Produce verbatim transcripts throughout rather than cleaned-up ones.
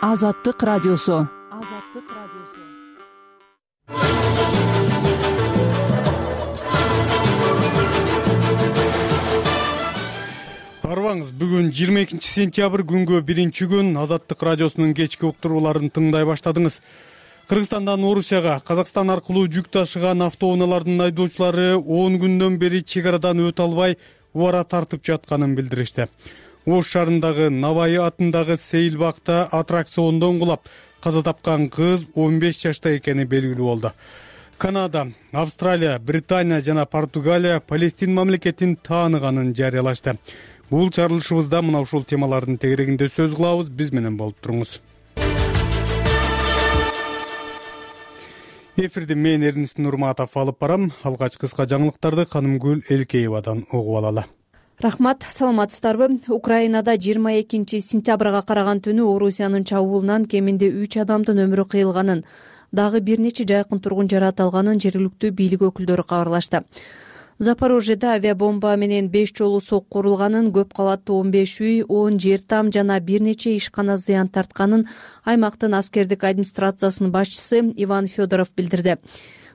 Азаттык радиосу. Азаттык радиосу. Арбаңыз, бүгүн жыйырма экинчи сентябрь күнгө биринчи күн. Азаттык радиосунун кечки уктурууларын тыңдай баштадыңыз. Кыргызстандан Орусияга Казакстан аркылуу жүк ташыган автоунаалардын айдоочулары он күндөн бери чек арадан өтө албай убара тартып жатканын билдиришти. Ош шаарындагы Навай атындагы сейил бакта аттракциондон кулап каза тапкан кыз он беш жашта экени белгилүү болду. Канада, Австралия, Британия жана Португалия Палестин мамлекетин тааныганын жарыялашты. Бул чарылышыбызда мына ушул темалардын тегерегинде сөз кылабыз. Биз менен болуп туруңуз. Эфирди мен Эрнис Нурматов алып барам. Алгач кыска жаңылыктарды Канымгүл Элкеевадан угуп алалы. Рахмат, саламатсыздарбы? Украинада жыйырма экинчи сентябрга караган түнү Орусиянын чабуулунан кеминде үч адамдын өмүрү кыйылганын, дагы бир нече жайкын тургун жаратылганын жергиликтүү бийлик өкүлдөрү кабарлашты. Запорожьеде авиабомба менен беш жолу сокку урулганын, көп кабаттуу он беш үй, он жер там жана бир нече ишкана зыян тартканын аймактын аскердик администрациясынын башчысы Иван Федоров билдирди.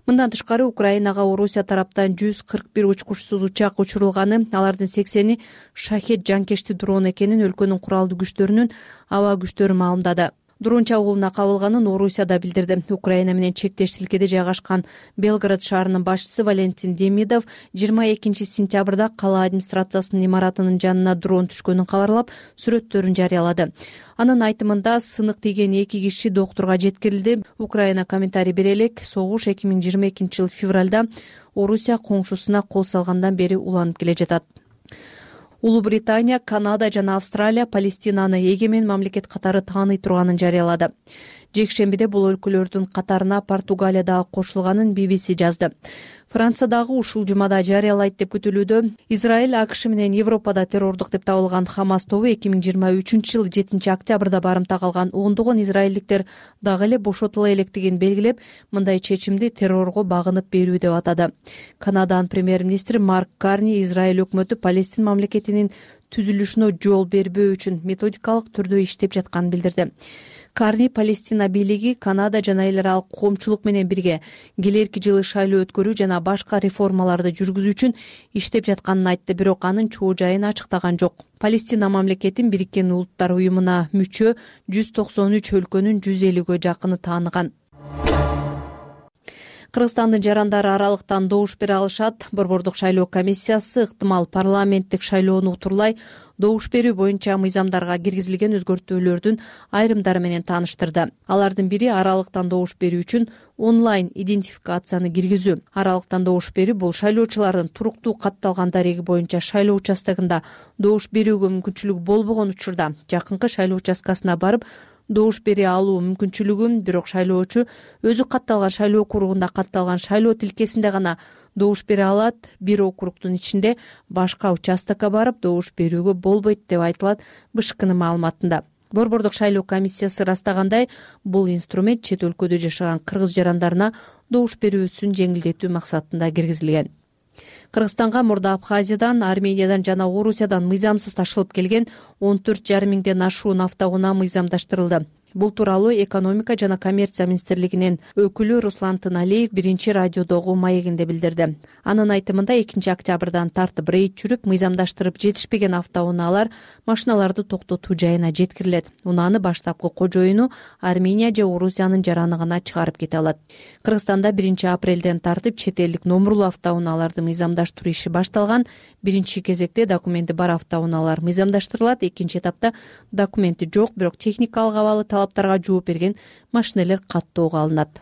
Мындан тышкары Украинага Орусия тараптан жүз кырк бир учкучсуз учак учурулганы, алардын сексени шахет жанкечти дрон экенин өлкөнүн куралдуу күчтөрүнүн аба күчтөрү маалымдады. Дрон чабуулуна кабылганын Орусия да билдирди. Украина менен чектеш тилкеде жайгашкан Белгород шаарынын башчысы Валентин Демидов жыйырма экинчи сентябрда кала администрациясынын имаратынын жанына дрон түшкөнүн кабарлап, сүрөттөрүн жарыялады. Анын айтымында сынык тийген эки киши доктурга жеткирилди. Украина комментарий бере элек, согуш эки миң жыйырма экинчи жыл февралда Орусия коңшусуна кол салгандан бери уланып келе жатат. Улуу Британия, Канада жана Австралия Палестинаны эгемен мамлекет катары тааный турганын жарыялады. Жекшембиде бул өлкөлөрдүн катарына Португалия дагы кошулганын би би си жазды. Франция дагы ушул жумада жарыялайт деп күтүлүүдө. Израиль АКШ менен Европада террордук деп табылган Хамас тобу эки миң жыйырма үчүнчү жылы жетинчи октябрда барымта калган ондогон израилдиктер дагы эле бошотула электигин белгилеп, мындай чечимди террорго багынып берүү деп атады. Канаданын премьер-министри Марк Карни Израиль өкмөтү Палестин мамлекетинин түзүлүшүнө жол бербөө үчүн методикалык түрдө иштеп жатканын билдирди. Карни Палестина бийлиги Канада жана эл аралык коомчулук менен бирге келерки жылы шайлоо өткөрүү жана башка реформаларды жүргүзүү үчүн иштеп жатканын айтты, бирок анын чоо жайын ачыктаган жок. Палестина мамлекетин Бириккен Улуттар уюмуна мүчө жүз токсон үч өлкөнүн жүз элүүгө жакыны тааныган. Кыргызстандын жарандары аралыктан добуш бере алышат. Борбордук шайлоо комиссиясы ыктымал парламенттик шайлоону утурлай добуш берүү боюнча мыйзамдарга киргизилген өзгөртүүлөрдүн айрымдары менен тааныштырды. Алардын бири аралыктан добуш берүү үчүн онлайн идентификацияны киргизүү. Аралыктан добуш берүү бул шайлоочулардын туруктуу катталган дареги боюнча шайлоо участогунда добуш берүүгө мүмкүнчүлүгү болбогон учурда жакынкы шайлоо участкасына барып добуш бере алуу мүмкүнчүлүгүн, бирок шайлоочу өзү катталган шайлоо округунда катталган шайлоо тилкесинде гана добуш бере алат. Бир округдун ичинде башка участокко барып добуш берүүгө болбойт деп айтылат бэ ш кнын маалыматында. Борбордук шайлоо комиссиясы ырастагандай, бул инструмент чет өлкөдө жашаган кыргыз жарандарына добуш берүүсүн жеңилдетүү максатында киргизилген. Кыргызстанга мурда Абхазиядан, Армениядан жана Орусиядан мыйзамсыз ташылып келген он төрт жарым миңден ашуун автоунаа мыйзамдаштырылды. Бул тууралуу экономика жана коммерция министрлигинин өкүлү Руслан Тыналиев биринчи радиодогу маегинде билдирди. Анын айтымында экинчи октябрдан тартып рейд жүрүп, мыйзамдаштырып жетишпеген автоунаалар машиналарды токтотуу жайына жеткирилет. Унааны баштапкы кожоюну Армения же Орусиянын жараны гана чыгарып кете алат. Кыргызстанда биринчи апрелден тартып чет элдик номурлуу автоунааларды мыйзамдаштыруу иши башталган. Биринчи кезекте документи бар автоунаалар мыйзамдаштырылат. Экинчи этапта документи жок, бирок техникалык абалы талаптарга жооп берген машинелер каттоого алынат.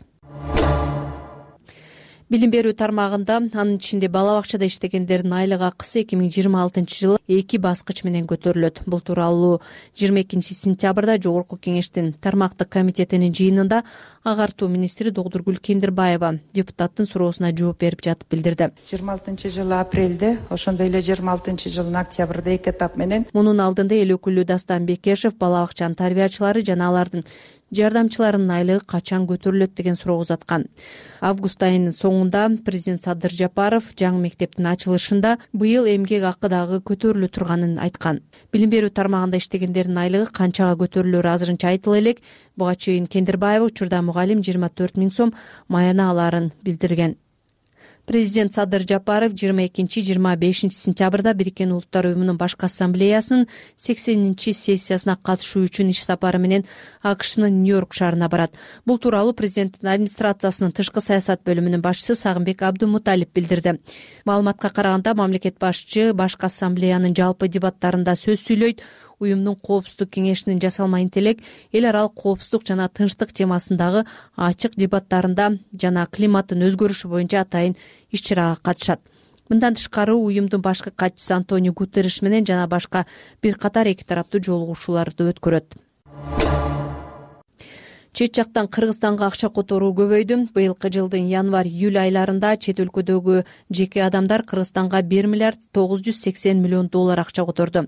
Билим берүү тармагында, анын ичинде бала бакчада иштегендердин айлык акысы эки миң жыйырма алтынчы жылы эки баскыч менен көтөрүлөт. Бул тууралуу жыйырма экинчи сентябрда Жогорку Кеңештин тармактык комитетинин жыйынында агартуу министри Догдургүл Кендирбаева депутаттын суроосуна жооп берип жатып билдирди. жыйырма алтынчы жылы апрелде, ошондой эле жыйырма алтынчы жылдын октябрда эки этап менен. Мунун алдында эл өкүлү Дастан Бекешев бала бакчанын тарбиячылары жана алардын жардамчыларынын айлыгы качан көтөрүлөт деген суроо узаткан. Август айынын соңунда президент Садыр Жапаров жаңы мектептин ачылышында быйыл эмгек акы дагы көтөрүлө турганын айткан. Билим берүү тармагында иштегендердин айлыгы канчага көтөрүлөрү азырынча айтыла элек. Буга чейин Кендирбаева учурда мугалим жыйырма төрт миң сом маяна алаарын билдирген. Президент Садыр Жапаров жыйырма экинчи жыйырма бешинчи сентябрда Бириккен Улуттар уюмунун башкы ассамблеясынын сексенинчи сессиясына катышуу үчүн иш сапары менен АКШнын Нью-Йорк шаарына барат. Бул тууралуу президенттин администрациясынын тышкы саясат бөлүмүнүн башчысы Сагынбек Абдумуталип билдирди. Маалыматка караганда мамлекет башчы башкы ассамблеянын жалпы дебаттарында сөз сүйлөйт. Уюмдун коопсуздук кеңешинин жасалма интеллект, эл аралык коопсуздук жана тынчтык темасындагы ачык дебаттарында жана климаттын өзгөрүшү боюнча атайын иш-чарага катышат. Мындан тышкары уюмдун башкы катчысы Антонио Гутерриш менен жана башка бир катар эки тараптуу жолугушууларды өткөрөт. Чет жактан Кыргызстанга акча которуу көбөйдү. Быйылкы жылдын январь-июль айларында чет өлкөдөгү жеке адамдар Кыргызстанга бир миллиард тогуз жүз сексен миллион доллар акча которду.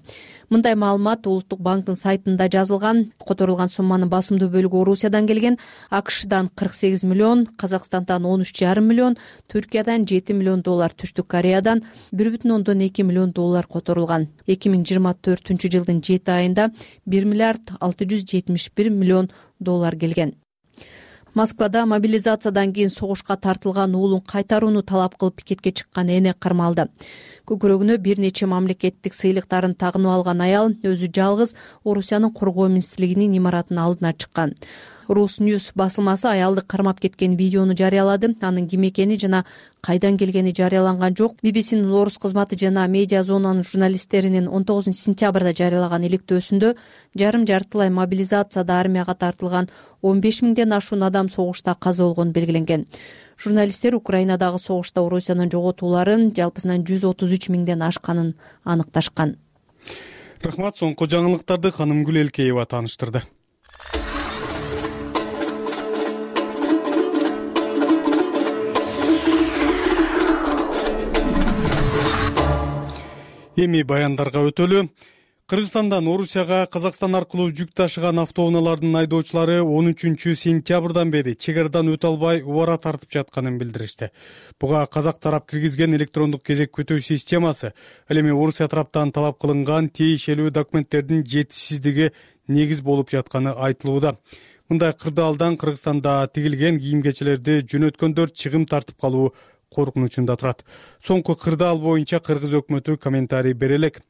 Мындай маалымат Улуттук банктын сайтында жазылган. Которулган сумманын басымдуу бөлүгү Орусиядан келген. АКШдан кырк сегиз миллион, Казакстандан он үч жарым миллион, Түркиядан жети миллион доллар, Түштүк Кореядан бир бүтүн ондон эки миллион доллар которулган. эки миң жыйырма төртүнчү жылдын жети айында бир миллиард алты жүз жетимиш бир миллион доллар келген. Москвада мобилизациядан кийин согушка тартылган уулун кайтарууну талап кылып пикетке чыккан эне кармалды. Көкүрөгүнө бир нече мамлекеттик сыйлыктарын тагынып алган аял өзү жалгыз Орусиянын коргоо министрлигинин имаратынын алдына чыккан. Рус Ньюс басылмасы аялды кармап кеткен видеону жарыялады. Анын ким экени жана кайдан келгени жарыяланган жок. би би синин орус кызматы жана медиа зонанын журналисттеринин он тогузунчу сентябрда жарыялаган иликтөөсүндө жарым жартылай мобилизацияда армияга тартылган он беш миңден ашуун адам согушта каза болгону белгиленген. Журналисттер Украинадагы согушта Орусиянын жоготууларын жалпысынан жүз отуз үч миңден ашканын аныкташкан. Рахмат, соңку жаңылыктарды Ханымгүл Элкеева тааныштырды. Эми баяндарга өтөлү. Кыргызстандан Орусияга Казакстан аркылуу жүк ташыган автоунаалардын айдоочулары он үчүнчү сентябрдан бери чек арадан өтө албай убара тартып жатканын билдиришти. Буга казак тарап киргизген электрондук кезек күтүү системасы, ал эми Орусия тараптан талап кылынган тиешелүү документтердин жетишсиздиги негиз болуп жатканы айтылууда. Мындай кырдаалдан Кыргызстанда тигилген кийим-кечелерди жөнөткөндөр чыгым тартып калуу коркунучунда турат. Соңку кырдаал боюнча Кыргыз өкмөтү комментарий бере элек.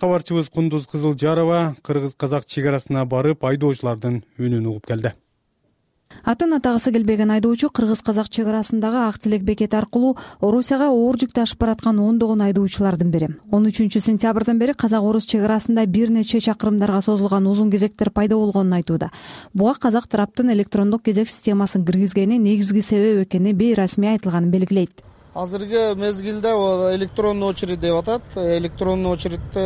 Кабарчыбыз Кундуз Кызылжарова кыргыз-казак чек арасына барып айдоочулардын үнүн угуп келди. Атын атагысы келбеген айдоочу кыргыз-казак чек арасындагы ак тилек бекети аркылуу Орусияга оор жүк ташып бараткан ондогон айдоочулардын бири. он үчүнчү сентябрдан бери казак-орус чек арасында бир нече чакырымдарга созулган узун кезектер пайда болгонун айтууда. Буга казак тараптын электрондук кезек системасын киргизгени негизги себеп экени бейрасмий айтылганын белгилейт. Азыркы мезгилде электронный очередь деп атат. Электронный очередти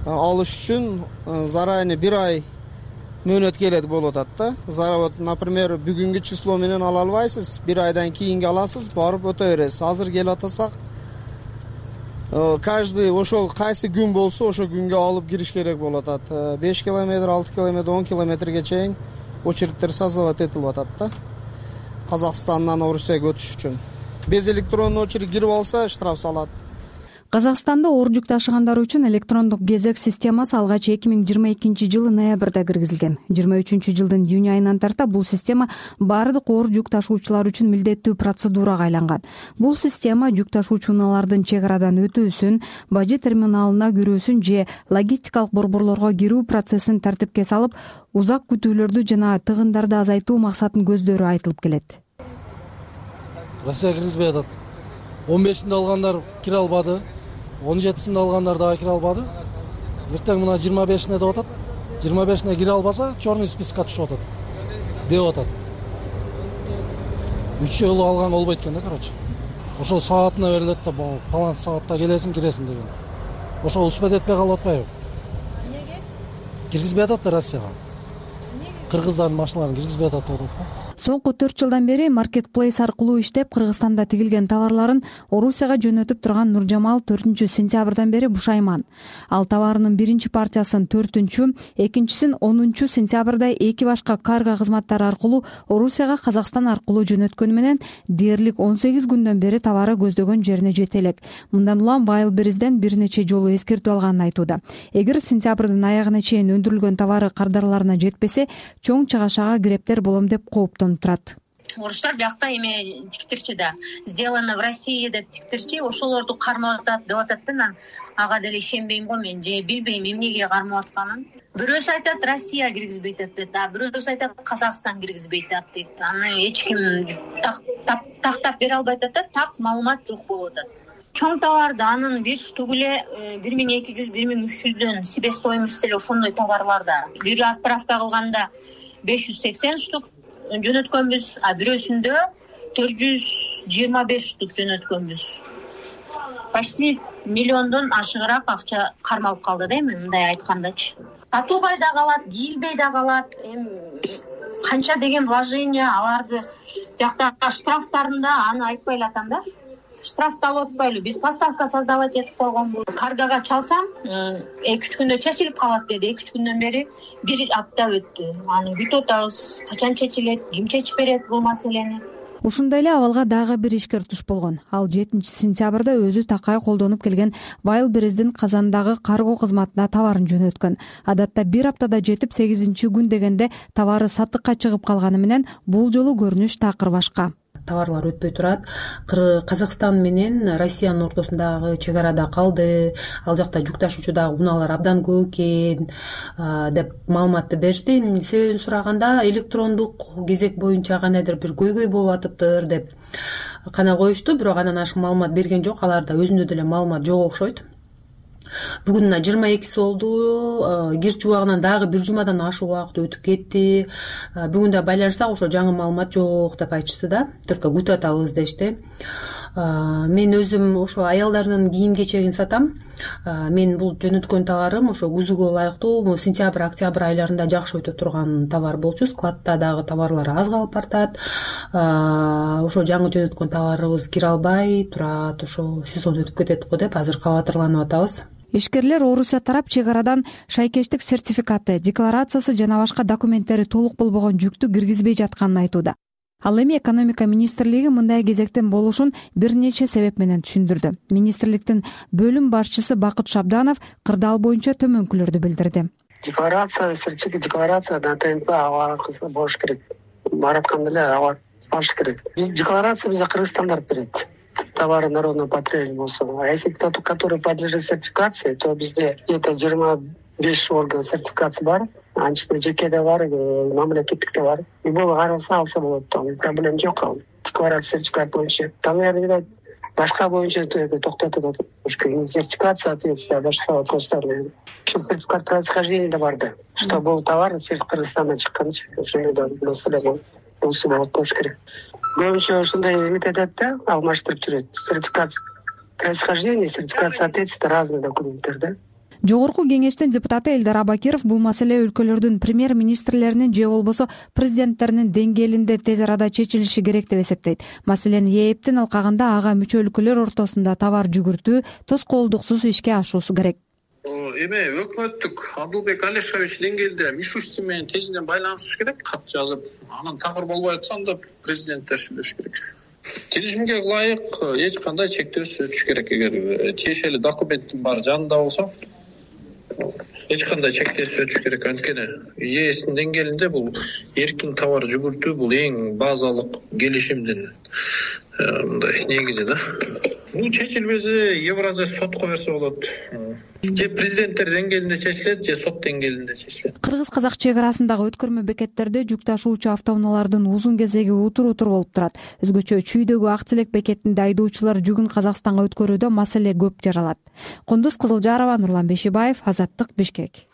алыш үчүн заранее бир ай мөөнөт келет болуп атат да. Вот, например, бүгүнкү число менен ала албайсыз, бир айдан кийинге аласыз, барып өтө бересиз. Азыр келип атасак, каждый ошол кайсы күн болсо ошол күнгө алып кириш керек болуп атат. беш километр, алты километр, он километрге чейин очередтер создавать этилип атат да. Казакстандан Орусияга өтүш үчүн. Без электронный очередь кирип алса штраф салат. Казакстанда оор жүк ташыгандар үчүн электрондук кезек системасы алгач эки миң жыйырма экинчи жылы ноябрда киргизилген. жыйырма үчүнчү жылдын июнь айынан тарта бул система баардык оор жүк ташуучулар үчүн милдеттүү процедурага айланган. Бул система жүк ташуучулардын чек арадан өтүүсүн, бажы терминалына кирүүсүн же логистикалык борборлорго кирүү процессин тартипке салып, узак күтүүлөрдү жана тыгындарды азайтуу максатын көздөрү айтылып келет. Россия киргизбей атат. он бешинде алгандар кире албады. он жетисинде алгандар дагы кире албады. Эртең мына жыйырма бешине деп атат. жыйырма бешине кире албаса, черный спискка түшүп атат. Деп атат. үч жолу алган болбойт экен да, короче. Ошол саатына берилет да, баланс саатта келесиң, киресиң деген. Ошол успет этпей калып атпайбы? Эмнеге? Киргизбей атат да Россияга. Эмнеге? Кыргыздардын машиналарын киргизбей атат деп атат. соңку төрт жылдан бери маркетплейс аркылуу иштеп Кыргызстанда тигилген товарларын Орусияга жөнөтүп турган Нуржамал төртүнчү сентябрдан бери бушайман. Ал товарынын биринчи партиясын төртүнчү, экинчисин онунчу сентябрда эки башка карго кызматтары аркылуу Орусияга Казакстан аркылуу жөнөткөнү менен дээрлик он сегиз күндөн бери товары көздөгөн жерине жете элек. Мындан улам Wildberries'ден бир нече жолу эскертүү алганын айтууда. Эгер сентябрдын аягына чейин өндүрүлгөн товары кардарларына жетпесе, чоң чыгашага кирептер болом деп кооптонуп турат. Орустар биякта эме тиктирчи да, сделано в России деп тиктирчи, ошолорду кармап атат деп атат да. Мен ага деле ишенбейм го, мен же билбейм эмнеге кармап атканын. Бирөөсү айтат Россия киргизбейт дейт, а бирөөсү айтат Казакстан киргизбейт дейт. Аны эч ким тактап бере албайт атат, так маалымат жок болуп атат. Чоң товарды анын беш штугу эле бир миң эки жүз бир миң үч жүздөн себестоимость эле ошондой товарларда. Бир отправка кылганда беш жүз сексен штук жөнөткөнбүз, а бирөөсүндө төрт жүз жыйырма беш штук жөнөткөнбүз. Почти миллиондон ашыгыраак акча кармалып калды да, эми мындай айткандачы. Сатылбай да калат, кийилбей да калат. Эми канча деген вложение аларды жакта штрафтарында аны айтпай эле атам да. Штрафты алып атпайлы, биз поставка создавать этип койгонбуз. Каргага чалсам, эки үч күндө чечилип калат деди. эки үч күндөн бери бир апта өттү. Аны күтүп атабыз. Качан чечилет, ким чечип берет бул маселени? Ушундай эле абалга дагы бир ишкер туш болгон. Ал жетинчи сентябрда өзү такай колдонуп келген Wildberries'дин Казандагы карго кызматына товарын жөнөткөн. Адатта бир аптада жетип, сегизинчи күн дегенде товары сатыкка чыгып калганы менен бул жолу көрүнүш такыр башка. Товарлар өтпөй турат. Казакстан менен Россиянын ортосундагы чек арада калды. Ал жакта жүк ташуучудагы унаалар абдан көп экен деп маалыматты беришти. Себебин сураганда электрондук кезек боюнча кандайдыр бир көйгөй болуп атыптыр деп гана коюшту. Бирок андан ашык маалымат берген жок. Аларда өзүндө деле маалымат жок окшойт. Бүгүн жыйырма экиси болду. Кир жубагынан дагы бир жумадан ашык убакыт өтүп кетти. Бүгүн да байланышсак ошо жаңы маалымат жок деп айтышты да. Только күтүп атабыз дешти. Мен өзүм ошо аялдардын кийим кечегин сатам. Мен бул жөнөткөн товарым ошо күзгүгө ылайыктуу, сентябрь, октябрь айларында жакшы өтө турган товар болчу. Складта дагы товарлар аз калып бартат. Ошо жаңы жөнөткөн товарыбыз кире албай турат. Ошо сезон өтүп кетет го деп азыр кабатырланып атабыз. Ишкерлер Орусия тарап чек арадан шайкештик сертификаты, декларациясы жана башка документтери толук болбогон жүктү киргизбей жатканын айтууда. Ал эми экономика министрлиги мындай кезектин болушун бир нече себеп менен түшүндүрдү. Министрликтин бөлүм башчысы Бакыт Шабданов кырдаал боюнча төмөнкүлөрдү билдирди. Декларация, сертификат декларация да ТНП аба болуш керек. Баратканда эле аба болуш керек. Биз декларация бизде Кыргызстанда берет. Товары народного потребления болсо. А если кто-то, который подлежит сертификации, то бизде где-то жыйырма беш орган сертификации бар. Анын ичинде жеке да бар, мамлекеттик да бар. И бул каралса алса болот. Там проблем жок ал. Декларация сертификат боюнча. Там наверное башка боюнча токтотот. Сертификация соответствия башка вопростар. Сертификат происхождения да бар да. Что бул товар через Кыргызстандан чыккан, ошондой да маселе болсо болуш керек. Көбүнчө ушундай эмет этет да, алмаштырып жүрөт. Сертификат происхождения, сертификат соответствия разные документтер да. Жогорку кеңештин депутаты Элдар Абакиров бул маселе өлкөлөрдүн премьер-министрлеринин же болбосо президенттеринин деңгээлинде тез арада чечилиши керек деп эсептейт. Маселени ээптин алкагында ага мүчө өлкөлөр ортосунда товар жүгүртүү тоскоолдуксуз ишке ашуусу керек. Эме өкмөттүк Абдылбек Алишевич деңгээлде Мишустин менен тезинен байланыш керек, кат жазып, анан такыр болбой атса анда президенттер сүйлөш керек. Келишимге ылайык эч кандай чектөөсүз өтүш керек. Эгер тиешелүү документтин баары жанында болсо, эч кандай чектөөсүз өтүш керек. Анткени ЕСтин деңгээлинде бул эркин товар жүгүртүү бул эң базалык келишимдин мындай негизи да. Бул чечилбесе Евразия сотко берсе болот. Же президенттер деңгээлинде чечилет, же сот деңгээлинде чечилет. Кыргыз-казак чек арасындагы өткөрмө бекеттерде жүк ташуучу автоунаалардын узун кезеги утур-утур болуп турат. Өзгөчө Чүйдөгү Актилек бекетинде айдоочулар жүгүн Казакстанга өткөрүүдө маселе көп жаралат. Кундуз Кызылжарова, Нурлан Бешибаев, Азаттык, Бишкек.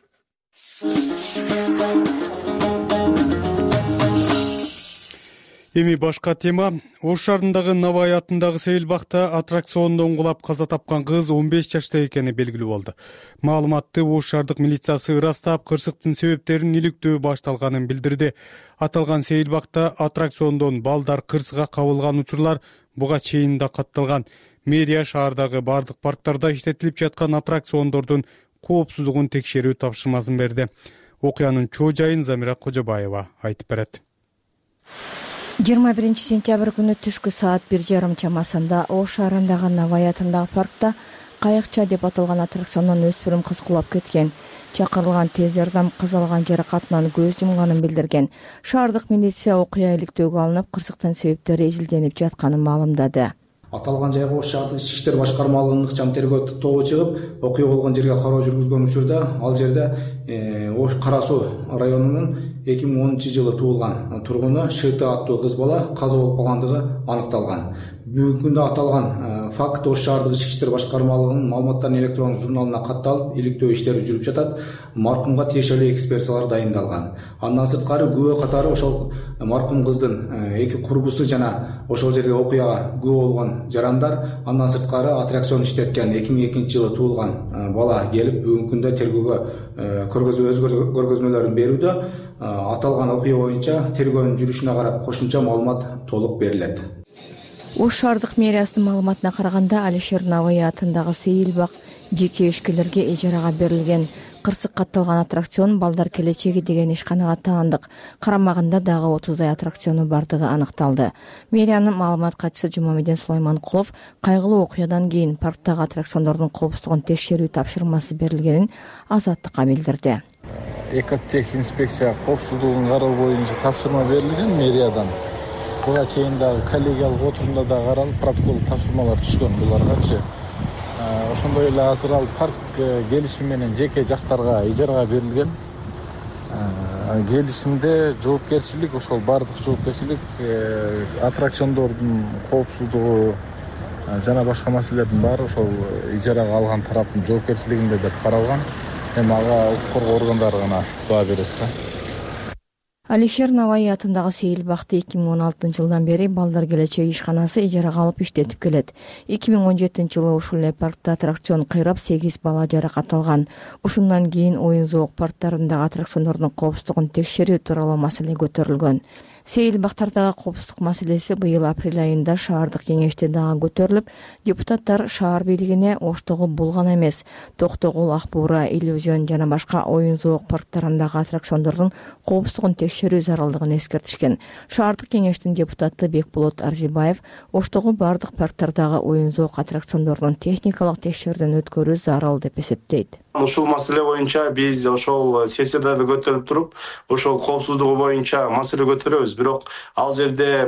Эми башка тема. Ош шаарындагы Навай атындагы сейилбакта аттракциондон кулап каза тапкан кыз он беш жашта экени белгилүү болду. Маалыматты Ош шаардык милициясы ырастап, кырсыктын себептерин иликтөө башталганын билдирди. Аталган сейилбакта аттракциондон балдар кырсыга кабылган учурлар буга чейин да катталган. Мэрия шаардагы бардык парктарда иштетилип жаткан аттракциондордун коопсуздугун текшерүү тапшырмасын берди. Окуянын чоо жайын Замира Кожобаева айтып берет. жыйырма биринчи сентябрь күнү түшкү саат бир жарым чамасында Ош шаарындагы Навай атындагы паркта кайыкча деп аталган аттракциондон өспүрүм кыз кулап кеткен. Чакырылган тез жардам кыз алган жаракатынан көз жумганын билдирген. Шаардык милиция окуя иликтөөгө алынып, кырсыктын себептери изилденип жатканын маалымдады. Аталган жайга Ош шаардык ички иштер башкармалыгынын ыкчам тергөө тобу чыгып, окуя болгон жерге кароо жүргүзгөн учурда ал жерде Ош Кара Суу районунун эки миң онунчу жылы туулган тургуну Шыты аттуу кыз бала каза болуп калгандыгы аныкталган. Бүгүнкү күндө аталган факт Ош шаардык ички иштер башкармалыгынын маалыматтарын электрондук журналына катталып, иликтөө иштери жүрүп жатат. Маркумга тиешелүү экспертизалар дайындалган. Андан сырткары күбө катары ошол маркум кыздын эки курбусу жана ошол жерге окуяга күбө болгон жарандар, андан сырткары аттракцион иштеткен эки миң экинчи жылы туулган бала келип бүгүнкү күндө тергөөгө көргөзмө өз көргөзмөлөрүн берүүдө. Аталган окуя боюнча тергөөнүн жүрүшүнө карап кошумча маалымат толук берилет. Ош шаардык мэриясынын маалыматына караганда Алишер Навай атындагы сейилбак жеке ишкерлерге ижарага берилген. Кырсык катталган аттракцион балдар келечеги деген ишканага таандык. Карамагында дагы отуздай аттракциону бардыгы аныкталды. Мэриянын маалымат катчысы Жумамедин Сулайманкулов кайгылуу окуядан кийин парктагы аттракциондордун коопсуздугун текшерүү тапшырмасы берилгенин Азаттыкка билдирди. Экотехинспекция коопсуздугун кароо боюнча тапшырма берилген мэриядан. Буга чейин дагы коллегиялык отурумда да каралып, протокол тапшырмалар түшкөн буларгачы. Ошондой эле азыр ал парк келишим менен жеке жактарга ижарага берилген. Келишимде жоопкерчилик, ошол бардык жоопкерчилик аттракциондордун коопсуздугу жана башка маселелердин баары ошол ижарага алган тараптын жоопкерчилигинде деп каралган. Эми ага укук коргоо органдары гана баа берет да. Алишер Навай атындагы сейилбакты эки миң он алтынчы жылдан бери балдар келечеги ишканасы ижарага алып иштетип келет. эки миң он жетинчи жылы ушул эле паркта аттракцион кыйрап сегиз бала жаракат алган. Ушундан кийин оюн зоок парктарындагы аттракциондордун коопсуздугун текшерүү тууралуу маселе көтөрүлгөн. Сейилбактардагы коопсуздук маселеси быйыл апрель айында шаардык кеңеште дагы көтөрүлүп, депутаттар шаар бийлигине Оштогу бул гана эмес, Токтогул, Ак Буура, Иллюзион жана башка оюн зоок парктарындагы аттракциондордун коопсуздугун текшерүү зарылдыгын эскертишкен. Шаардык кеңештин депутаты Бекболот Арзибаев Оштогу бардык парктардагы оюн зоок аттракциондордун техникалык текшерүүдөн өткөрүү зарыл деп эсептейт. Ушул маселе боюнча биз ошол сессияда да көтөрүп туруп, ошол коопсуздугу боюнча маселе көтөрөбүз. Бирок ал жерде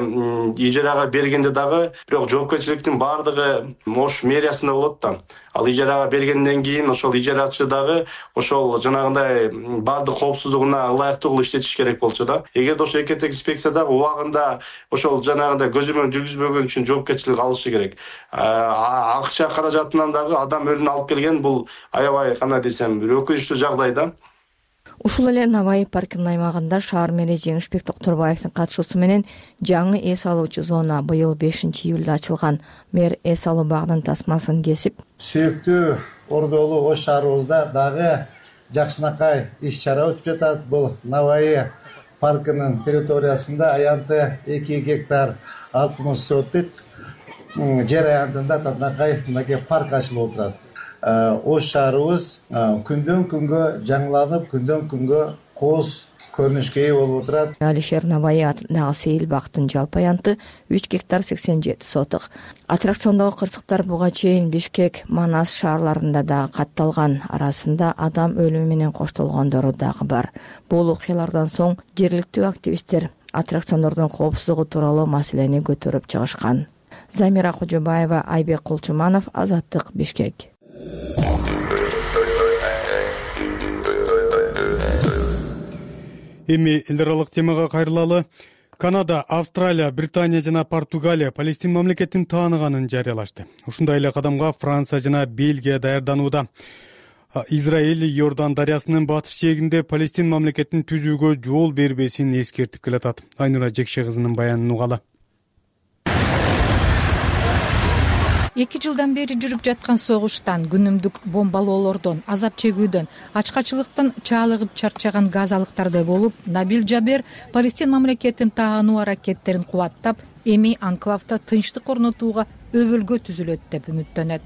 ижарага бергенде дагы бирок жоопкерчиликтин баардыгы Ош мэриясында болот да. Ал ижарага бергенден кийин ошол ижарачы дагы ошол жанагындай баардык коопсуздугуна ылайыктуу кылып иштетиш керек болчу да. Эгерде ошол экотехинспекция дагы убагында ошол жанагындай көзөмөл жүргүзбөгөн үчүн жоопкерчилик алышы керек. Акча каражатынан дагы адам өлүмүн алып келген бул аябай кандай десем, бир өкүнүчтүү жагдай да. Ушул эле Навай паркынын аймагында шаар мэри Жеңишбек Токторбаевдин катышуусу менен жаңы эс алуучу зона быйыл бешинчи июлда ачылган. Мэр эс алуу багынын тасмасын кесип, сүйүктүү ордолуу Ош шаарыбызда дагы жакшынакай иш-чара өтүп жатат. Бул Навай паркынын территориясында аянты эки гектар алтымыш соток жер аянтында татынакай мынакей парк ачылып отурат. Ош шаарыбыз күндөн күнгө жаңыланып, күндөн күнгө кооз көрүнүшкө ээ болуп отурат. Алишер Навай атындагы сейилбактын жалпы аянты үч гектар сексен жети соток. Аттракциондогу кырсыктар буга чейин Бишкек, Манас шаарларында дагы катталган. Арасында адам өлүмү менен коштолгондору дагы бар. Бул окуялардан соң жергиликтүү активисттер аттракциондордун коопсуздугу тууралуу маселени көтөрүп чыгышкан. Замира Кожобаева, Айбек Кулчуманов, Азаттык, Бишкек. Эми эл аралык темага кайрылалы. Канада, Австралия, Британия жана Португалия Палестин мамлекетин тааныганын жарыялашты. Ушундай эле кадамга Франция жана Бельгия даярданууда. Израиль Иордан дарыясынын батыш жээгинде Палестин мамлекетин түзүүгө жол бербесин эскертип келатат. Айнура Жекше кызынын баянын угалы. эки жылдан бери жүрүп жаткан согуштан, күнүмдүк бомбалоолордон, азап чегүүдөн, ачкачылыктан чаалыгып чарчаган газалыктардай болуп, Набил Джабер Палестин мамлекетин таануу аракеттерин кубаттап, эми анклавда тынчтык орнотууга өбөлгө түзүлөт деп үмүттөнөт.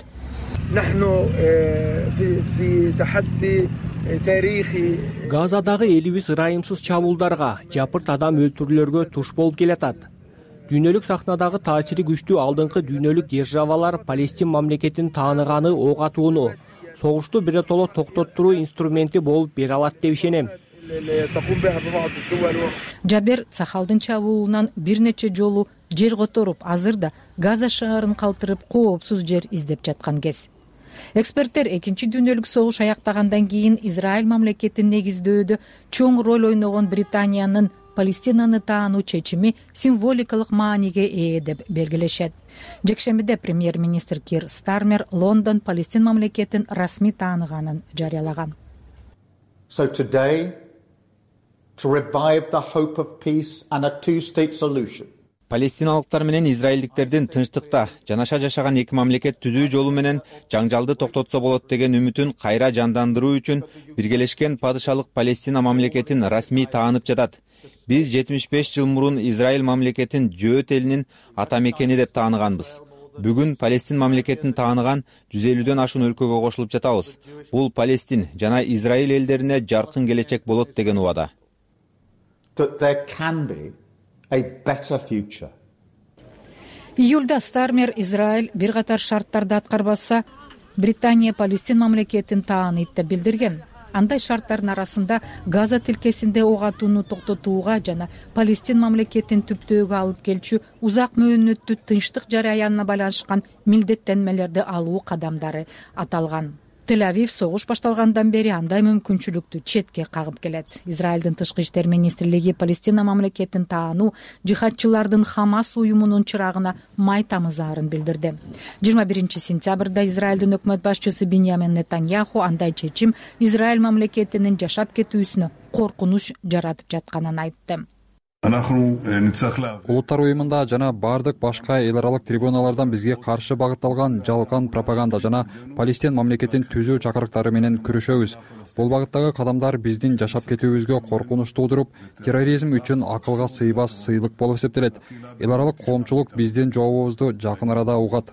Газадагы элибиз ырайымсыз чабуулдарга, жапырт адам өлтүрүүлөргө туш болуп келатат. Дүйнөлүк сахнадагы таасири күчтүү алдыңкы дүйнөлүк державалар Палестин мамлекетин тааныганы ок атууну, согушту биротоло токтоттуруу инструменти болуп бере алат деп ишенем. Жабер Цахалдын чабуулунан бир нече жолу жер которуп, азырда Газа шаарын калтырып, коопсуз жер издеп жаткан кез. Эксперттер экинчи дүйнөлүк согуш аяктагандан кийин Израиль мамлекетин негиздөөдө чоң роль ойногон Британиянын Палестинаны таануу чечими символикалык мааниге ээ деп белгилешет. Жекшембиде премьер-министр Кир Стармер Лондон Палестин мамлекетин расмий тааныганын жарыялаган. So today, to revive the hope of peace and a two-state solution. Палестиналыктар менен израилдиктердин тынчтыкта жанаша жашаган эки мамлекет түзүү жолу менен жаңжалды токтотсо болот деген үмүтүн кайра жандандыруу үчүн биргелешкен падышалык Палестина мамлекетин расмий таанып жатат. Биз жетимиш беш жыл мурун Израиль мамлекетин жөөт элинин ата мекени деп тааныганбыз. Бүгүн Палестин мамлекетин тааныган жүз элүүдөн ашуун өлкөгө кошулуп жатабыз. Бул Палестин жана Израиль элдерине жаркын келечек болот деген убада. That there can be a better future. Июлда Стармер Израиль бир катар шарттарды аткарбаса, Британия Палестин мамлекетин тааныйт деп билдирген. Андай шарттардын арасында Газа тилкесинде ок атууну токтотууга жана Палестин мамлекетин түптөөгө алып келчү узак мөөнөттүү тынчтык жараянына байланышкан милдеттенмелерди алуу кадамдары аталган. Тель-Авив согуш башталгандан бери андай мүмкүнчүлүктү четке кагып келет. Израилдин тышкы иштер министрлиги Палестина мамлекетин таануу жихадчылардын Хамас уюмунун чырагына май тамызаарын билдирди. жыйырма биринчи сентябрда Израилдин өкмөт башчысы Биньямин Нетаньяху андай чечим Израиль мамлекетинин жашап кетүүсүнө коркунуч жаратып жатканын айтты. Улуттар уюмунда жана бардык башка эл аралык трибуналардан бизге каршы багытталган жалган пропаганда жана Палестин мамлекетин түзүү чакырыктары менен күрөшөбүз. Бул багыттагы кадамдар биздин жашап кетүүбүзгө коркунуч туудуруп, терроризм үчүн акылга сыйбас сыйлык болуп эсептелет. Эл аралык коомчулук биздин жообубузду жакын арада угат.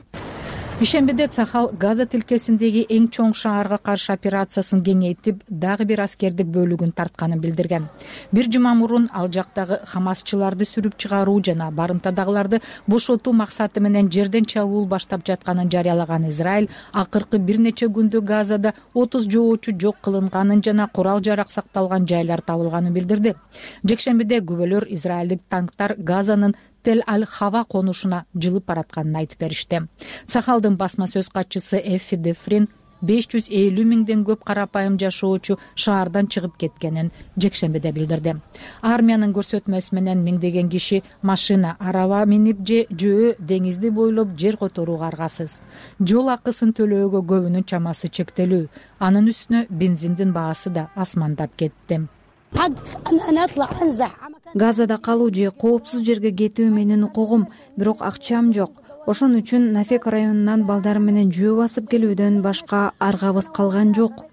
Ишембиде Цахал Газа тилкесиндеги эң чоң шаарга каршы операциясын кеңейтип, дагы бир аскердик бөлүгүн тартканын билдирген. Бир жума мурун ал жактагы хамасчыларды сүрүп чыгаруу жана барымтадагыларды бошотуу максаты менен жерден чабуул баштап жатканын жарыялаган Израиль акыркы бир нече күндө Газада отуз жоочу жок кылынганын жана курал-жарак сакталган жайлар табылганын билдирди. Жекшембиде күбөлөр Израилдик танктар Газанын Тель-Аль-Хава конушуна жылып баратканын айтып беришти. Цахалдын басма сөз катчысы Эффи Дефрин беш жүз элүү миңден көп карапайым жашоочу шаардан чыгып кеткенин жекшембиде билдирди. Армиянын көрсөтмөсү менен миңдеген киши машина, араба минип же жөө деңизди бойлоп жер которууга аргасыз. Жол акысын төлөөгө көбүнүн чамасы чектелүү. Анын үстүнө бензиндин баасы да асмандап кетти. Газада калуу же коопсуз жерге кетүү менин укугум, бирок акчам жок. Ошон үчүн Нафек районунан балдарым менен жөө басып келүүдөн башка аргабыз калган жок.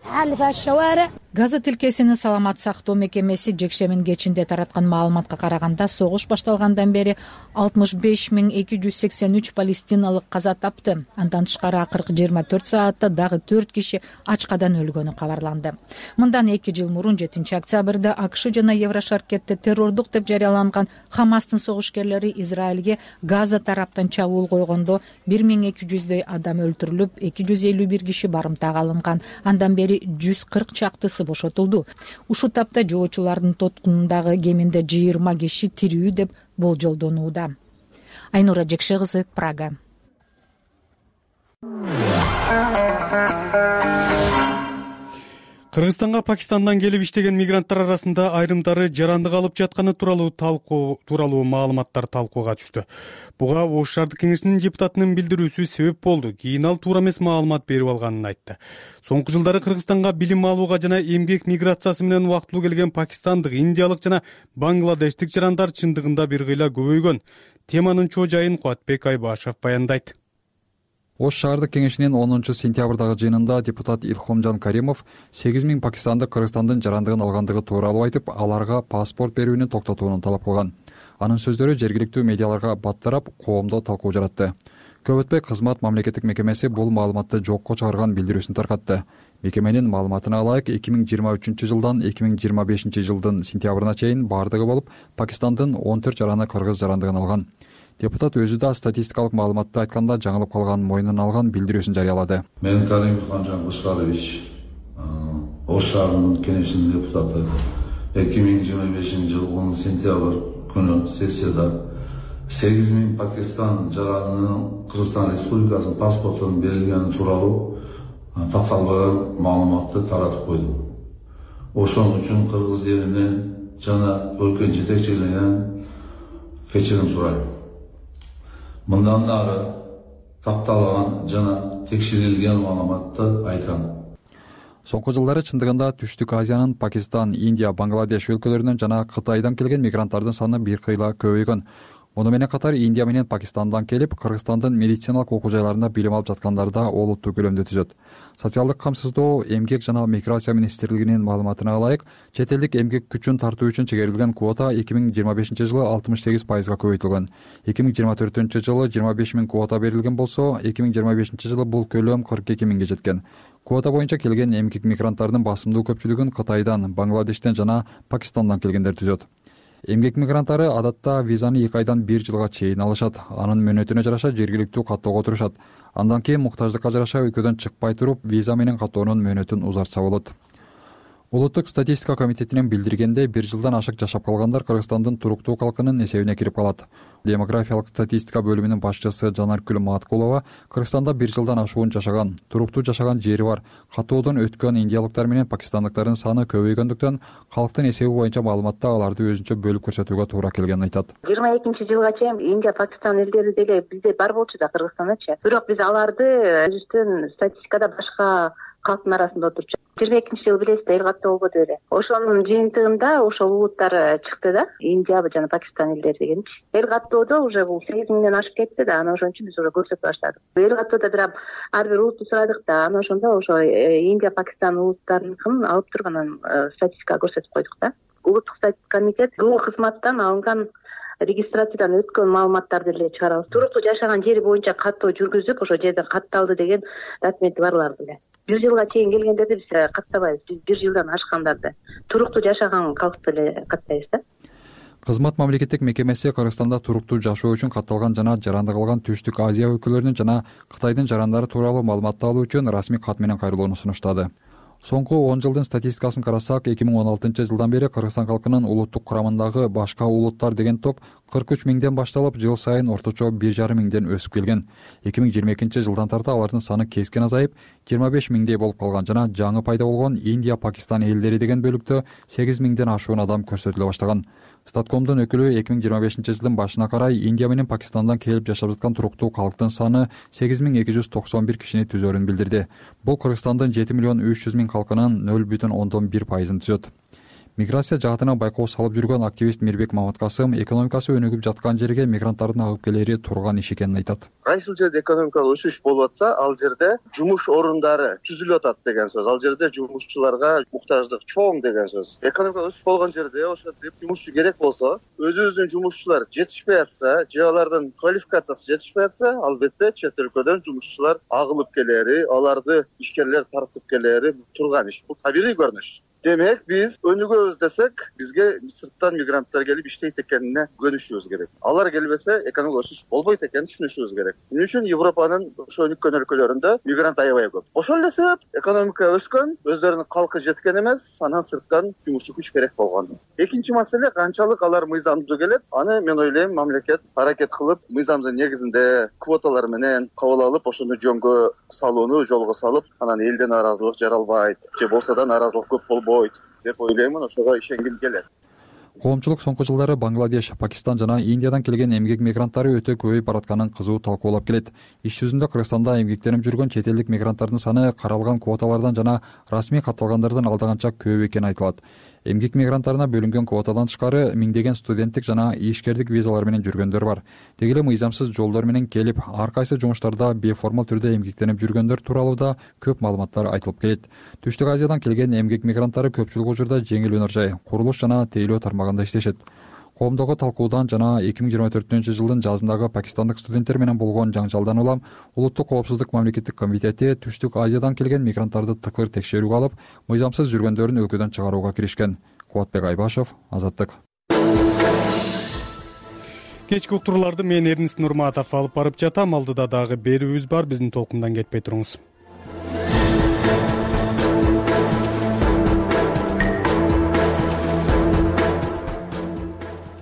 Газа тилкесинин саламат сактоо мекемеси жекшембинин кечинде тараткан маалыматка караганда, согуш башталгандан бери алтымыш беш миң эки жүз сексен үч палестиналык каза тапты. Андан тышкары акыркы жыйырма төрт саатта дагы төрт киши ачкадан өлгөнү кабарланды. Мындан эки жыл мурун жетинчи октябрда АКШ жана Еврошаркетте террордук деп жарыяланган Хамастын согушкерлери Израилге Газа тараптан чабуул койгондо бир миң эки жүздөй адам өлтүрүлүп, эки жүз элүү бир киши барымтага алынган. Андан бери жүз кырк чактысы бошотулду. Ушул тапта жоочулардын тоткунундагы кеминде жыйырма киши тирүү деп болжолдонууда. Айнура Жекше кызы, Прага. Кыргызстанга Пакистандан келип иштеген мигранттар арасында айрымдары жарандык алып жатканы тууралуу талкуу тууралуу маалыматтар талкууга түштү. Буга Ош шаардык кеңешинин депутатынын билдирүүсү себеп болду. Кийин ал туура эмес маалымат берип алганын айтты. Соңку жылдары Кыргызстанга билим алууга жана эмгек миграциясы менен убактылуу келген пакистандык, индиялык жана бангладештик жарандар чындыгында бир кыйла көбөйгөн. Теманын чоо жайын Кубатбек Айбашев баяндайт. Ош шаардык кеңешинин онунчу сентябрдагы жыйынында депутат Илхомжан Каримов сегиз миң пакистандык Кыргызстандын жарандыгын алгандыгы тууралуу айтып, аларга паспорт берүүнү токтотууну талап кылган. Анын сөздөрү жергиликтүү медиаларга баттарап, коомдо талкуу жаратты. Көп өтпөй кызмат мамлекеттик мекемеси бул маалыматты жокко чыгарган билдирүүсүн таркатты. Мекеменин маалыматына ылайык эки миң жыйырма үчүнчү жылдан эки миң жыйырма бешинчи жылдын сентябрына чейин бардыгы болуп Пакистандын он төрт жараны кыргыз жарандыгын алган. Депутат өзү да статистикалык маалыматты айтканда жаңылып калганын мойнуна алган билдирүүсүн жарыялады. Мен Карим Илхомжан Кушкарович, Ош шаарынын кеңешинин депутаты. эки миң жыйырма бешинчи жыл онунчу сентябрь күнү сессияда сегиз миң Пакистан жаранынын Кыргызстан Республикасынын паспортунун берилгени тууралуу такталбаган маалыматты таратып койдум. Ошон үчүн кыргыз элинен жана өлкө жетекчилигинен кечирим сурайм. Мындан нары такталган жана текшерилген маалыматты айтам. Соңку жылдары чындыгында Түштүк Азиянын Пакистан, Индия, Бангладеш өлкөлөрүнөн жана Кытайдан келген мигранттардын саны бир кыйла көбөйгөн. Муну менен катар Индия менен Пакистандан келип, Кыргызстандын медициналык окуу жайларында билим алып жаткандар да олуттуу көлөмдө түзөт. Социалдык камсыздоо, эмгек жана миграция министрлигинин маалыматына ылайык, чет элдик эмгек күчүн тартуу үчүн чегерилген квота эки миң жыйырма бешинчи жылы алтымыш сегиз пайызга көбөйтүлгөн. эки миң жыйырма төртүнчү жылы жыйырма беш миң квота берилген болсо, эки миң жыйырма бешинчи жылы бул көлөм кырк эки миңге жеткен. Квота боюнча келген эмгек мигранттардын басымдуу көпчүлүгүн Кытайдан, Бангладештен жана Пакистандан келгендер түзөт. Эмгек мигранттары адатта визаны эки айдан бир жылга чейин алышат. Анын мөөнөтүнө жараша жергиликтүү каттоого турушат. Андан кийин муктаждыкка жараша өлкөдөн чыкпай туруп, виза менен каттоонун мөөнөтүн узартса болот. Улуттук статистика комитетинин билдиргенде, бир жылдан ашык жашап калгандар Кыргызстандын туруктуу калкынын эсебине кирип калат. Демографиялык статистика бөлүмүнүн башчысы Жанаркүл Маткулова Кыргызстанда бир жылдан ашуун жашаган, туруктуу жашаган жери бар, каттоодон өткөн индиялыктар менен пакистандыктардын саны көбөйгөндүктөн калктын эсеби боюнча маалыматта аларды өзүнчө бөлүп көрсөтүүгө туура келгенин айтат. жыйырма экинчи жылга чейин Индия, Пакистан элдери деле бизде бар болчу да Кыргызстандачы. Бирок биз аларды өзүбүздүн статистикада башка калктын арасында отурчу. жыйырма экинчи жылы билесиз да эл каттоо болбоду беле. Ошонун жыйынтыгында ошол улуттар чыкты да, Индия жана Пакистан элдери дегенчи. Эл каттоодо уже бул сегиз миңден ашып кетти да, анан ошон үчүн биз уже көрсөтө баштадык. Эл каттоодо бирок ар бир улутту сурадык да, анан ошондо ошо Индия, Пакистан улуттарыныкын алып туруп анан статистикага көрсөтүп койдук да. Улуттук статистика комитет бул кызматтан алынган регистрациядан өткөн маалыматтарды эле чыгарабыз. Туруктуу жашаган жери боюнча каттоо жүргүзүп, ошол жерден катталды деген документи барларды эле. Бир жылга чейин келгендерди биз каттабайбыз. Биз бир жылдан ашкандарды, туруктуу жашаган калкты эле каттайбыз да. Кызмат мамлекеттик мекемеси Кыргызстанда туруктуу жашоо үчүн катталган жана жарандык алган Түштүк Азия өлкөлөрүнүн жана Кытайдын жарандары тууралуу маалыматты алуу үчүн расмий кат менен кайрылууну сунуштады. Соңку он жылдын статистикасын карасак, эки миң он алтынчы жылдан бери Кыргызстан калкынын улуттук курамындагы башка улуттар деген топ кырк үч миңден башталып, жыл сайын орточо бир жарым миңден өсүп келген. эки миң жыйырма экинчи жылдан тарта алардын саны кескен азайып, жыйырма беш миңдей болуп калган жана жаңы пайда болгон Индия, Пакистан элдери деген бөлүктө сегиз миңден ашуун адам көрсөтүлө баштаган. Статкомдун өкүлү эки миң жыйырма бешинчи жылдын башына карай Индия менен Пакистандан келип жашап жаткан туруктуу калктын саны сегиз миң эки жүз токсон бир кишини түзөрүн билдирди. Бул Кыргызстандын жети миллион үч жүз миң калкынын нөл бүтүн ондон бир пайызын түзөт. Миграция жаатынан байкоо салып жүргөн активист Мирбек Маматкасым экономикасы өнүгүп жаткан жерге мигранттардын агып келери турган иш экенин айтат. Кайсыл жерде экономикалык өсүш болуп атса, ал жерде жумуш орундары түзүлүп атат деген сөз. Ал жерде жумушчуларга муктаждык чоң деген сөз. Экономика өсүп болгон жерде ошентип жумушчу керек болсо, өзүбүздүн жумушчулар жетишпей атса, же алардын квалификациясы жетишпей атса, албетте чет өлкөдөн жумушчулар агылып келери, аларды ишкерлер тартып келери турган иш. Бул табигый көрүнүш. демек биз өнүгөбүз десек бизге сырттан мигранттар келип иштейт экенине көнүшүбүз керек. Алар келбесе экономикалык өсүш болбойт экенин түшүнүшүбүз керек. Эмне үчүн Европанын ошо өнүккөн өлкөлөрүндө мигрант аябай көп. Ошол эле себеп экономика өскөн, өздөрүнүн калкы жеткен эмес, анан сырттан жумушчу күч керек болгон. Экинчи маселе канчалык алар мыйзамдуу келет, аны мен ойлойм мамлекет аракет кылып мыйзамдын негизинде квоталар менен кабыл алып, ошону жөнгө салууну жолго салып, анан элден нааразылык жаралбайт же болсо да нааразылык көп болбойт деп ойлоймун. Ошого ишенгим келет. Коомчулук соңку жылдары Бангладеш, Пакистан жана Индиядан келген эмгек мигранттары өтө көбөйүп баратканын кызуу талкуулап келет. Иш жүзүндө Кыргызстанда эмгектенип жүргөн чет элдик мигранттардын саны каралган квоталардан жана расмий катталгандардан алдаганча көп экени айтылат. Эмгек мигранттарына бөлүнгөн квотадан тышкары миңдеген студенттик жана ишкердик визалар менен жүргөндөр бар. Деги эле мыйзамсыз жолдор менен келип, ар кайсы жумуштарда бейформал түрдө эмгектенип жүргөндөр тууралуу да көп маалыматтар айтылып келет. Түштүк Азиядан келген эмгек мигранттары көпчүлүк учурда жеңил өнөр жай, курулуш жана тейлөө тармагында иштешет. Коомдогу талкуудан жана эки миң жыйырма төртүнчү жылдын жазындагы пакистандык студенттер менен болгон жаңжалдан улам Улуттук коопсуздук мамлекеттик комитети Түштүк Азиядан келген мигранттарды тыкыр текшерүүгө алып, мыйзамсыз жүргөндөрүн өлкөдөн чыгарууга киришкен. Кубатбек Айбашев, Азаттык. Кечки уктурууларды мен Эрнис Нурматов алып барып жатам. Алдыда дагы берүүбүз бар. Биздин толкундан кетпей туруңуз.